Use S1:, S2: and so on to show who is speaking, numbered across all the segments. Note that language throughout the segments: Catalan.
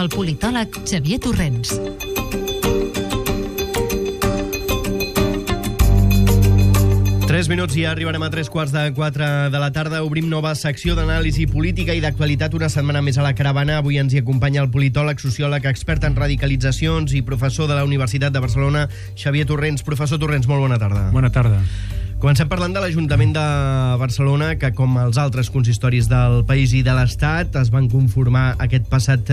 S1: amb el politòleg Xavier Torrents.
S2: Tres minuts i arribarem a 3:45 de la tarda. Obrim nova secció d'anàlisi política i d'actualitat, una setmana més a la caravana. Avui ens hi acompanya el politòleg, sociòleg, expert en radicalitzacions i professor de la Universitat de Barcelona, Xavier Torrents. Professor Torrents, molt bona tarda.
S3: Bona tarda.
S2: Comencem parlant de l'Ajuntament de Barcelona, que com els altres consistoris del país i de l'Estat es van conformar aquest passat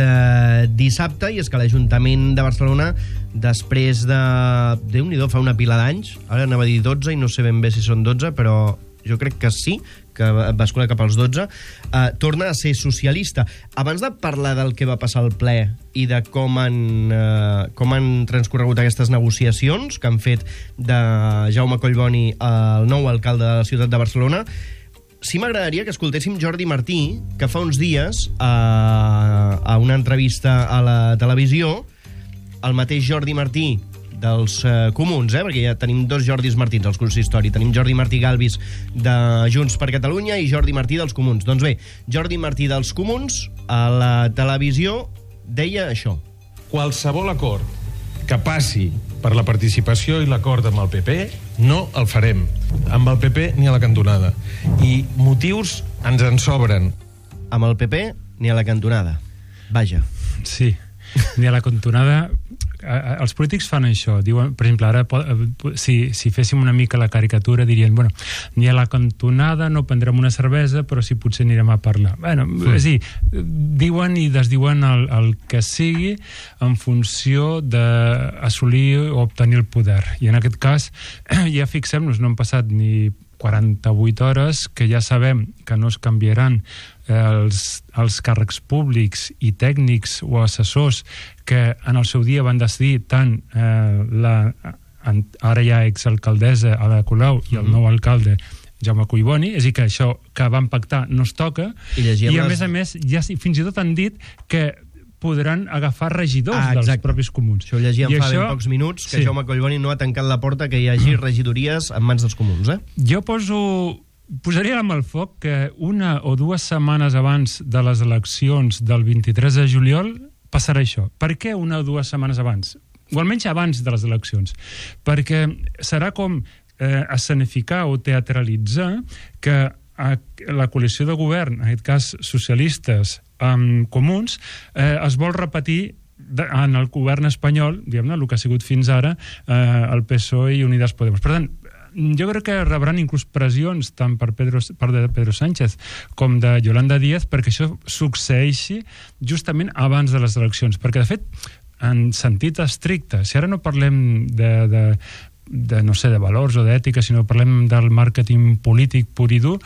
S2: dissabte, i és que l'Ajuntament de Barcelona, després de... Déu-n'hi-do, fa una pila d'anys, ara anava a dir 12 i no sé ben bé si són 12, però jo crec que sí, que va escolar cap als 12, torna a ser socialista. Abans de parlar del que va passar al ple i de com han transcorregut aquestes negociacions que han fet de Jaume Collboni el nou alcalde de la ciutat de Barcelona, sí m'agradaria que escoltéssim Jordi Martí, que fa uns dies, a una entrevista a la televisió, el mateix Jordi Martí dels comuns, perquè ja tenim dos Jordis Martins als consistori. Tenim Jordi Martí Galvis de Junts per Catalunya i Jordi Martí dels comuns. Doncs bé, Jordi Martí dels comuns a la televisió deia això.
S4: Qualsevol acord que passi per la participació i l'acord amb el PP no el farem. Amb el PP ni a la cantonada. I motius ens en sobren.
S2: Amb el PP ni a la cantonada. Vaja.
S3: Sí, ni a la cantonada. Els polítics fan això, diuen, per exemple, ara si féssim una mica la caricatura dirien, bueno, ni a la cantonada no prendrem una cervesa, però sí potser anirem a parlar. Bueno, és a dir, diuen i desdiuen el que sigui en funció d'assolir o obtenir el poder. I en aquest cas, ja fixem-nos, no han passat ni 48 hores, que ja sabem que no es canviaran els càrrecs públics i tècnics o assessors que en el seu dia van decidir tant ara ja exalcaldessa Ada Colau i el nou alcalde Jaume Collboni, és a dir, que això que van pactar no es toca, i a més ja fins i tot han dit que podran agafar regidors dels propis comuns.
S2: Això ho llegíem fa ben pocs minuts, que Jaume Collboni no ha tancat la porta que hi hagi regidories en mans dels comuns.
S3: Jo posaria la mà al foc que una o dues setmanes abans de les eleccions del 23 de juliol passarà això. Per què una o dues setmanes abans? O almenys abans de les eleccions. Perquè serà com escenificar o teatralitzar que la coalició de govern, en aquest cas socialistes amb comuns, es vol repetir en el govern espanyol, diguem-ne, el que ha sigut fins ara el PSOE i Unidas Podemos. Per tant, jo crec que rebran inclús pressions tant per de Pedro Sánchez com de Yolanda Díaz perquè això succeeixi justament abans de les eleccions. Perquè, de fet, en sentit estricte, si ara no parlem de valors o d'ètica, sinó parlem del màrqueting polític pur i dur,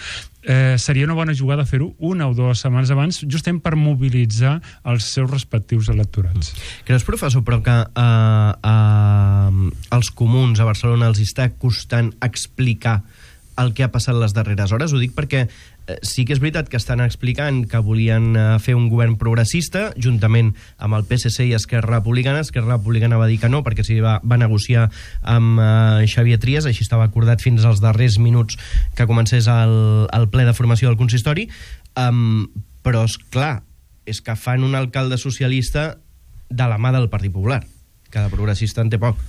S3: seria una bona jugada fer-ho una o dues setmanes abans, justament per mobilitzar els seus respectius electorats.
S2: Creus, professor, però que als comuns a Barcelona els està costant explicar el que ha passat les darreres hores? Ho dic perquè sí que és veritat que estan explicant que volien fer un govern progressista juntament amb el PSC i Esquerra Republicana. Esquerra Republicana va dir que no, perquè s'hi va negociar amb Xavier Trias, així estava acordat fins als darrers minuts que comencés el ple de formació del consistori. Però, esclar, és que fan un alcalde socialista de la mà del Partit Popular, que de progressista en té poc.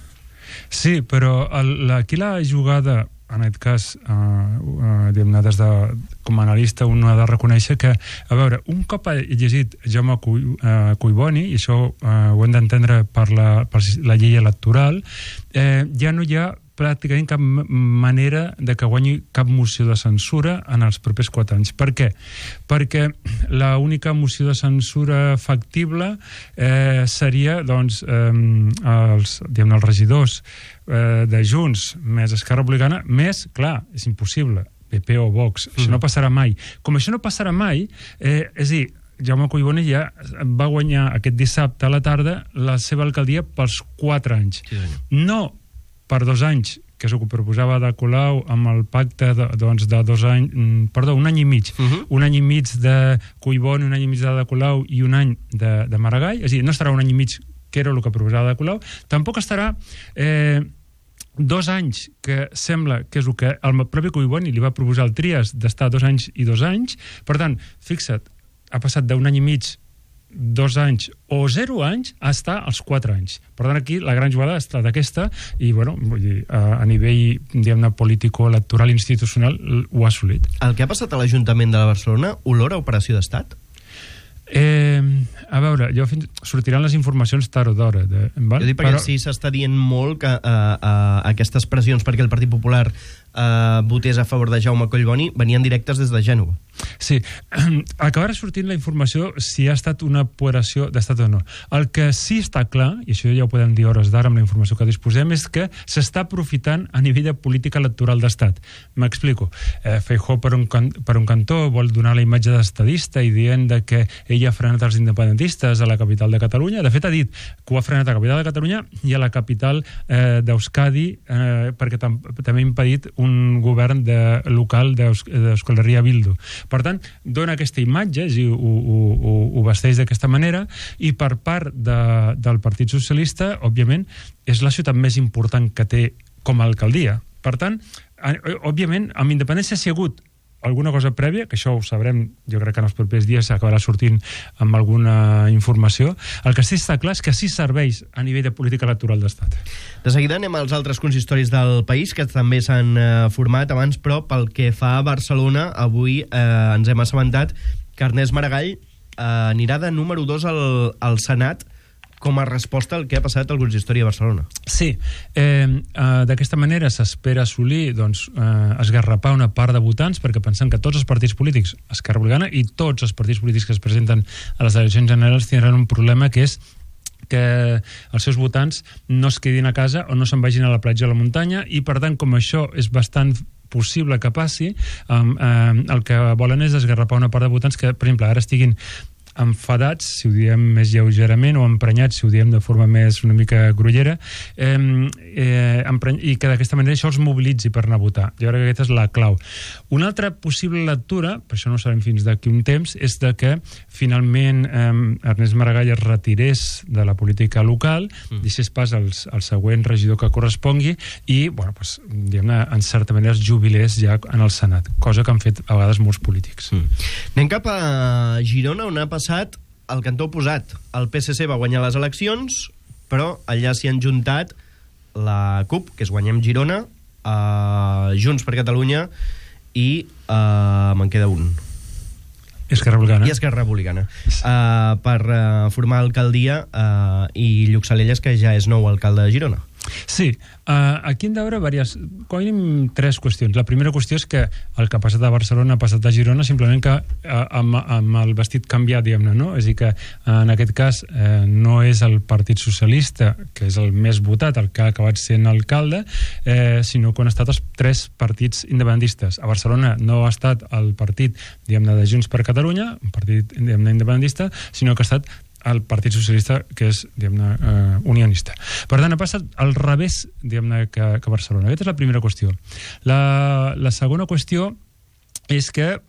S3: Sí, però aquí la jugada, en aquest cas, com a analista, un ha de reconèixer que, a veure, un cop ha llegit Jaume Collboni, i això ho hem d'entendre per la llei electoral, ja no hi ha pràcticament cap manera de que guanyi cap moció de censura en els propers 4 anys. Per què? Perquè l'única moció de censura factible seria, doncs, els regidors de Junts més Esquerra Republicana, més, clar, és impossible, PP o Vox. Això no passarà mai. Com això no passarà mai, és a dir, Jaume Collboni ja va guanyar aquest dissabte a la tarda la seva alcaldia pels 4 anys. No per 2 anys, que és el que proposava Ada Colau amb el pacte de 2 anys, perdó, 1 any i mig. 1 any i mig de Collboni, 1 any i mig d'Ada Colau i 1 any de Maragall. És a dir, no estarà 1 any i mig, que era el que proposava Ada Colau. Tampoc estarà 2 anys, que sembla que és el que el propi Collboni li va proposar al Trias, d'estar 2 anys i 2 anys. Per tant, fixa't, ha passat d'1 any i mig 2 anys o 0 anys a estar als 4 anys. Per tant, aquí la gran jugada ha estat aquesta i, bueno, vull dir, a nivell, diguem-ne, político-electoral institucional ho ha assolit.
S2: El que ha passat a l'Ajuntament de Barcelona olora operació d'estat?
S3: A veure, sortiran les informacions tard o d'hora.
S2: Jo dic perquè sí s'està dient molt que aquestes pressions perquè el Partit Popular votés a favor de Jaume Collboni venien directes des de Gènova.
S3: Sí, acabarà sortint la informació si ha estat una operació d'estat o no. El que sí està clar, i això ja ho podem dir hores d'ara amb la informació que disposem, és que s'està aprofitant a nivell de política electoral d'estat. M'explico. Feijóo per un cantó vol donar la imatge d'estadista i dient que ell ha frenat els independentistes a la capital de Catalunya. De fet, ha dit que ho ha frenat a la capital de Catalunya i a la capital d'Euskadi perquè també ha impedit un govern local d'Euskal Herria Bildu. Per tant, dona aquesta imatge, ho vesteix d'aquesta manera, i per part del Partit Socialista, òbviament, és la ciutat més important que té com a alcaldia. Per tant, òbviament, amb independència si ha hagut alguna cosa prèvia, que això ho sabrem, jo crec que en els propers dies s'acabarà sortint amb alguna informació. El que sí està clar és que sí serveix a nivell de política electoral d'estat.
S2: De seguida anem als altres consistoris del país que també s'han format abans, però pel que fa a Barcelona, avui ens hem assabentat que Ernest Maragall anirà de número 2 al Senat com a resposta al que ha passat al consistori de Barcelona.
S3: Sí, d'aquesta manera s'espera assolir, esgarrapar una part de votants, perquè pensem que tots els partits polítics, Esquerra Republicana i tots els partits polítics que es presenten a les eleccions generals tindran un problema, que és que els seus votants no es quedin a casa o no se'n vagin a la platja o a la muntanya, i per tant, com això és bastant possible que passi, el que volen és esgarrapar una part de votants que, per exemple, ara estiguin enfadats, si ho diem més lleugerament, o emprenyats, si ho diem de forma més una mica grollera, i que d'aquesta manera això els mobilitzi per anar a votar. Jo crec que aquesta és la clau. Una altra possible lectura, per això no ho sabem fins d'aquí un temps, és de que finalment Ernest Maragall es retirés de la política local, deixés pas al següent regidor que correspongui i, bueno, pues, diguem-ne, en certa manera es jubilés ja en el Senat, cosa que han fet a vegades molts polítics.
S2: Anem cap a Girona, on ha passat el cantó oposat. El PSC va guanyar les eleccions, però allà s'hi han juntat la CUP, que és Guanyem Girona, Junts per Catalunya i me'n queda un.
S3: Esquerra Republicana.
S2: I Esquerra Republicana. Per formar alcaldia i Lluc Salelles, que ja és nou alcalde de Girona.
S3: Sí, aquí hem de veure com a mínim 3 qüestions. La primera qüestió és que el que ha passat a Barcelona ha passat a Girona, simplement que amb el vestit canviat, diguem-ne, no? És a dir, que en aquest cas no és el Partit Socialista, que és el més votat, el que ha acabat sent alcalde, sinó que han estat els 3 partits independentistes. A Barcelona no ha estat el partit, diguem-ne, de Junts per Catalunya, un partit, diguem-ne, independentista, sinó que ha estat el Partit Socialista, que és, diguem-ne, unionista. Per tant, ha passat al revés, diguem-ne, que a Barcelona. Aquesta és la primera qüestió. La segona qüestió és que,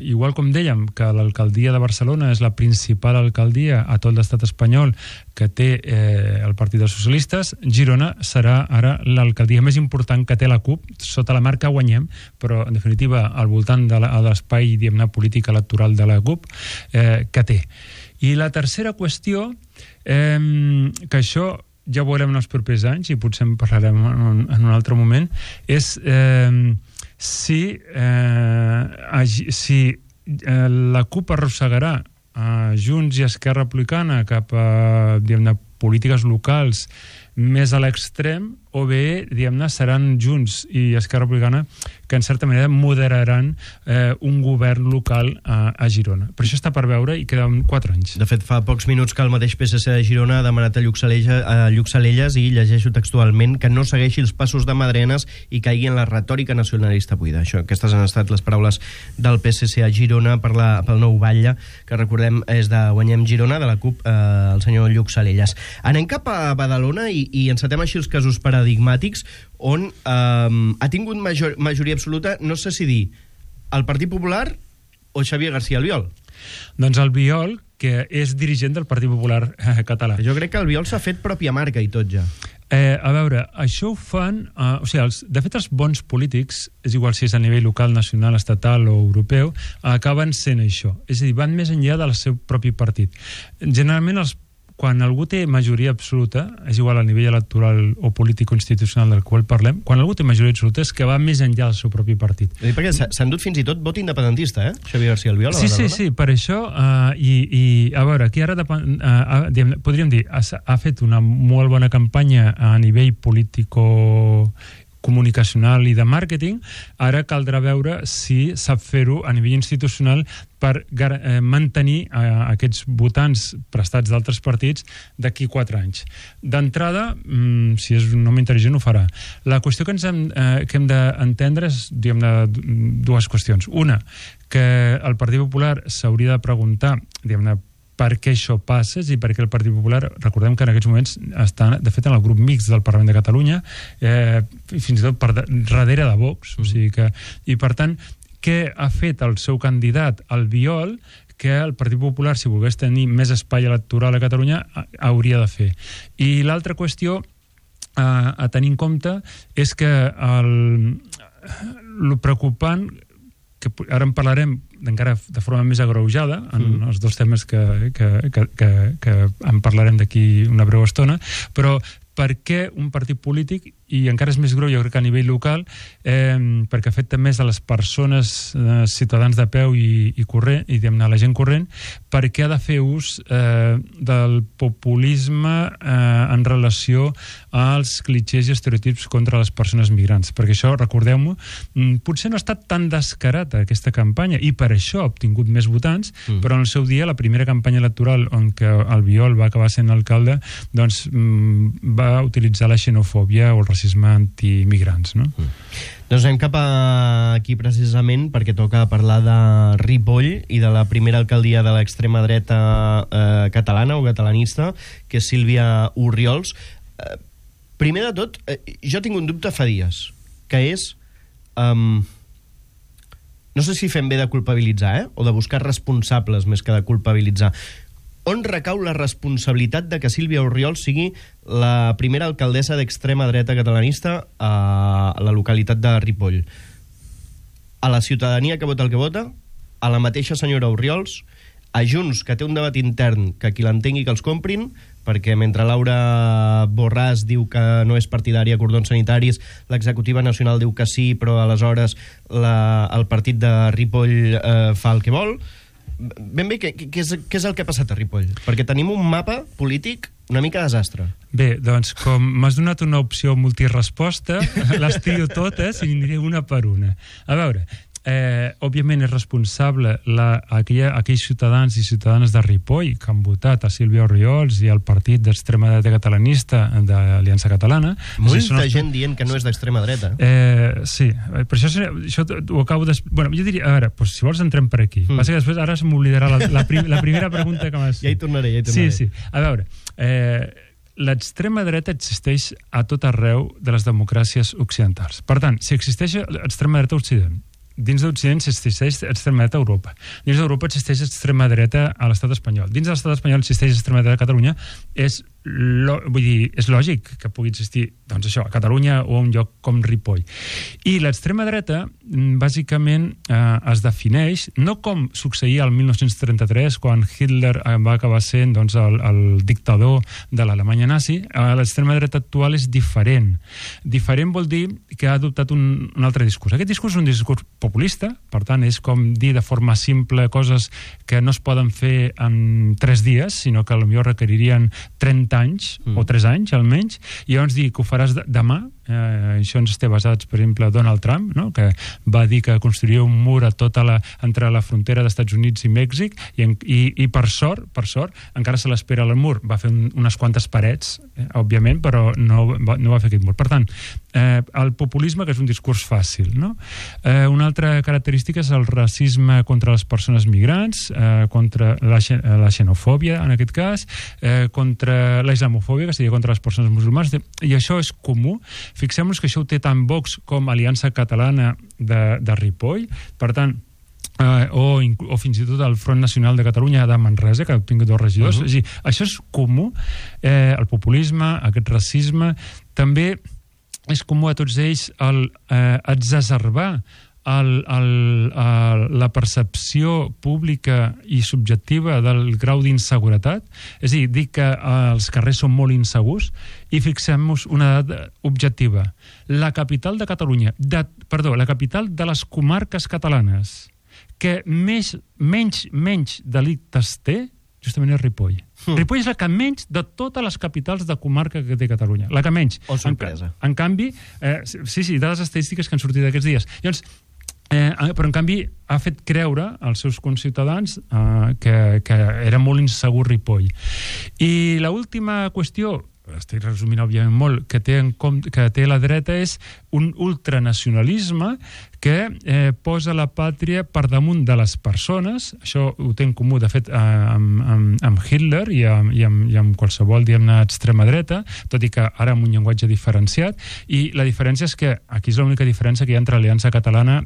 S3: igual com dèiem, que l'alcaldia de Barcelona és la principal alcaldia a tot l'estat espanyol que té el Partit dels Socialistes, Girona serà ara l'alcaldia més important que té la CUP, sota la marca Guanyem, però en definitiva al voltant de l'espai, diguem-ne, polític electoral de la CUP que té. I la tercera qüestió, que això ja ho veurem en els propers anys i potser en parlarem en un altre moment, és si la CUP arrossegarà Junts i Esquerra Republicana cap a, diguem-ne, polítiques locals més a l'extrem, o bé, diguem-ne, seran Junts i Esquerra Republicana que en certa manera moderaran un govern local a Girona. Per això està per veure i queden 4 anys.
S2: De fet, fa pocs minuts que el mateix PSC de Girona ha demanat a Lluc Salelles, i llegeixo textualment, que no segueixi els passos de Madrenes i caigui en la retòrica nacionalista buida. Aquestes han estat les paraules del PSC a Girona pel nou batlle, que recordem és de Guanyem Girona, de la CUP, el senyor Lluc Salelles. Anem cap a Badalona i encetem així els casos paradigmàtics on ha tingut majoria absoluta, no sé si dir el Partit Popular o Xavier García Albiol.
S3: Doncs Albiol, que és dirigent del Partit Popular català.
S2: Jo crec que Albiol s'ha fet pròpia marca i tot ja.
S3: A veure, això ho fan... de fet, els bons polítics, és igual si és a nivell local, nacional, estatal o europeu, acaben sent això. És a dir, van més enllà del seu propi partit. Generalment, quan algú té majoria absoluta, és igual a nivell electoral o polític o institucional del qual parlem, quan algú té majoria absoluta és que va més enllà del seu propi partit.
S2: Perquè s'ha endut fins i tot vot independentista, Xavier García Albiol?
S3: Sí, per això, i a veure, aquí ara podríem dir, ha fet una molt bona campanya a nivell político comunicacional i de màrqueting, ara caldrà veure si sap fer-ho a nivell institucional per mantenir aquests votants prestats d'altres partits d'aquí 4 anys. D'entrada, si és un home intel·ligent, ho farà. La qüestió que hem d'entendre és, diguem-ne, dues qüestions. Una, que el Partit Popular s'hauria de preguntar, diguem-ne, per què això passa i per què el Partit Popular, recordem que en aquests moments està, de fet, en el grup mixt del Parlament de Catalunya, fins i tot darrere de Vox, o sigui que... I, per tant, què ha fet el seu candidat, Albiol, que el Partit Popular, si volgués tenir més espai electoral a Catalunya, hauria de fer. I l'altra qüestió a tenir en compte és que el preocupant, que ara en parlarem encara de forma més agreujada en els dos temes que en parlarem d'aquí una breu estona, però per què un partit polític, i encara és més greu, jo crec que a nivell local, perquè afecta més a les persones, ciutadans de peu i la gent corrent, per què ha de fer ús del populisme en relació als clitxers i estereotips contra les persones migrants? Perquè això, recordeu-m'ho, potser no ha estat tan descarata aquesta campanya, i per això ha obtingut més votants, però en el seu dia, la primera campanya electoral on que Albiol va acabar sent alcalde, doncs va utilitzar la xenofòbia o el racisme antimigrants, no?
S2: Doncs anem cap aquí precisament perquè toca parlar de Ripoll i de la primera alcaldia de l'extrema dreta catalana o catalanista, que és Sílvia Orriols. Primer de tot, jo tinc un dubte fa dies, que és... no sé si fem bé de culpabilitzar, o de buscar responsables més que de culpabilitzar. On recau la responsabilitat de que Sílvia Orriols sigui la primera alcaldessa d'extrema dreta catalanista a la localitat de Ripoll? A la ciutadania que vota el que vota? A la mateixa senyora Orriols? A Junts, que té un debat intern que qui l'entengui que els comprin, perquè mentre Laura Borràs diu que no és partidària de cordons sanitaris, l'executiva nacional diu que sí, però aleshores el partit de Ripoll fa el que vol. Ben bé, què és el que ha passat a Ripoll? Perquè tenim un mapa polític una mica desastre.
S3: Bé, doncs, com m'has donat una opció multiresposta, les trio totes i aniré una per una. A veure, òbviament és responsable aquells ciutadans i ciutadanes de Ripoll que han votat a Sílvia Orriols i al partit d'extrema dreta catalanista d'Aliança Catalana.
S2: Molta gent dient que no és d'extrema dreta.
S3: Sí, per això ho acabo de... Bueno, jo diria, a veure, si vols entrem per aquí. Passa que després ara se m'oblidarà la primera pregunta que m'has...
S2: Ja hi tornaré.
S3: Sí. A veure, l'extrema dreta existeix a tot arreu de les democràcies occidentals. Per tant, si existeix l'extrema dreta a Occident, dins d'Occident existeix extrema dreta a Europa. Dins d'Europa existeix extrema dreta a l'estat espanyol. Dins de l'estat espanyol existeix extrema dreta a Catalunya. És lògic que pugui existir, doncs això, a Catalunya o a un lloc com Ripoll. I l'extrema dreta, bàsicament, es defineix no com succeïa el 1933, quan Hitler va acabar sent el dictador de l'Alemanya nazi. L'extrema dreta actual és diferent. Diferent vol dir que ha adoptat un altre discurs. Aquest discurs és un discurs populista, per tant, és com dir de forma simple coses que no es poden fer en 3 dies, sinó que potser requeririen 30 anys, o 3 anys almenys, i llavors dir que ho faràs demà. Això ens té basats, per exemple, Donald Trump, no? Que va dir que construiria un mur entre la frontera d'Estats Units i Mèxic, i per sort, encara se l'espera el mur. Va fer unes quantes parets, òbviament, però no va fer aquest mur. Per tant, el populisme, que és un discurs fàcil, no? Una altra característica és el racisme contra les persones migrants, contra la xenofòbia, en aquest cas, contra la islamofòbia, que seria contra les persones musulmanes, i això és comú. Fixem-nos que això ho té tant Vox com Aliança Catalana de Ripoll. Per tant, o fins i tot el Front Nacional de Catalunya de Manresa, que ha obtingut 2 regidors. És a dir, això és comú, el populisme, aquest racisme, també és comú a tots ells exacerbar la percepció pública i subjectiva del grau d'inseguretat, és a dir que els carrers són molt insegurs, i fixem-nos una dada objectiva. La capital de Catalunya, la capital de les comarques catalanes, que menys delictes té, justament és Ripoll. Ripoll és la que menys de totes les capitals de comarca que té Catalunya. La que menys.
S2: Oh, sorpresa.
S3: En canvi, sí, dades estadístiques que han sortit aquests dies. Llavors, però en canvi ha fet creure als seus conciutadans que era molt insegur Ripoll. I l'última qüestió, estic resumint òbviament molt, que té la dreta és un ultranacionalisme que posa la pàtria per damunt de les persones. Això ho té en comú, de fet, amb Hitler i amb qualsevol, diguem-ne, extrema dreta, tot i que ara amb un llenguatge diferenciat. I la diferència és que aquí és l'única diferència que hi ha entre l'Aliança Catalana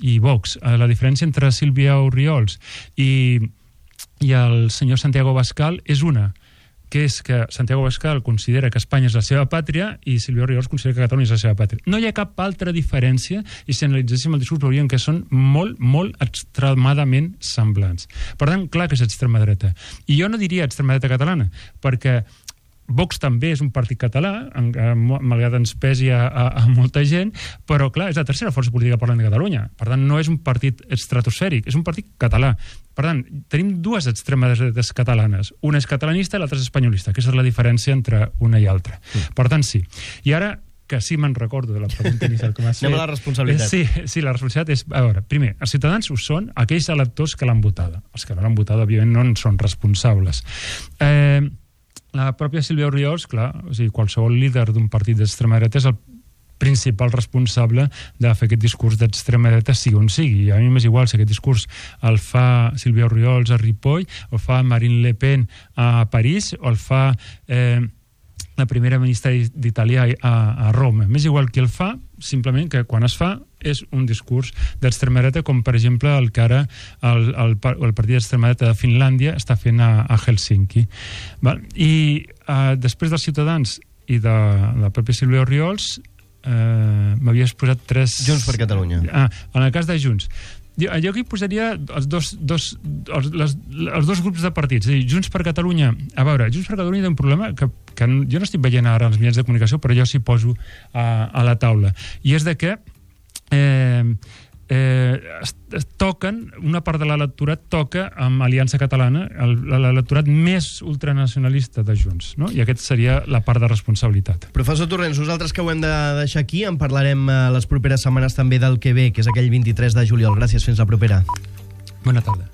S3: i Vox. La diferència entre Sílvia Orriols i el senyor Santiago Abascal és una, que és que Santiago Abascal considera que Espanya és la seva pàtria i Sílvia Orriols considera que Catalunya és la seva pàtria. No hi ha cap altra diferència, i si analitzéssim el discurs veuríem que són molt, molt extremadament semblants. Per tant, clar que és extrema dreta. I jo no diria extrema dreta catalana, perquè Vox també és un partit català, malgrat ens pesi a molta gent, però clar, és la tercera força política parlant de Catalunya. Per tant, no és un partit estratosfèric, és un partit català. Per tant, tenim 2 extremes dretes catalanes. Una és catalanista i l'altra és espanyolista. Aquesta és la diferència entre una i altra. Per tant, sí. I ara, que sí me'n recordo de la pregunta inicial que m'has fet.
S2: Anem a la responsabilitat.
S3: Sí, la responsabilitat és... A veure, primer, els ciutadans ho són aquells electors que l'han votada. Els que no l'han votada, òbviament, no en són responsables. La pròpia Sílvia Orriols, clar, o sigui, qualsevol líder d'un partit d'extrema dreta és el principal responsable de fer aquest discurs d'extrema dreta sigui on sigui. I a mi m'és igual si aquest discurs el fa Sílvia Orriols a Ripoll, o el fa Marine Le Pen a París, o el fa la primera ministra d'Itàlia a Roma. M'és igual qui el fa, simplement que quan es fa és un discurs d'extrema dreta, com per exemple el que ara el partit d'extrema dreta de Finlàndia està fent a Helsinki. I després dels Ciutadans i de la pròpia Sílvia Orriols m'havies posat 3...
S2: Junts per Catalunya.
S3: En el cas de Junts. Jo aquí posaria els dos grups de partits. És a dir, Junts per Catalunya... A veure, Junts per Catalunya té un problema que jo no estic veient ara als mitjans de comunicació, però jo s'hi poso a la taula. I és de que toquen, una part de l'electorat toca amb Aliança Catalana, l'electorat més ultranacionalista de Junts, no? I aquest seria la part de responsabilitat.
S2: Professor Torrents, nosaltres que ho hem de deixar aquí, en parlarem les properes setmanes també del que ve, que és aquell 23 de juliol. Gràcies, fins la propera.
S3: Bona tarda.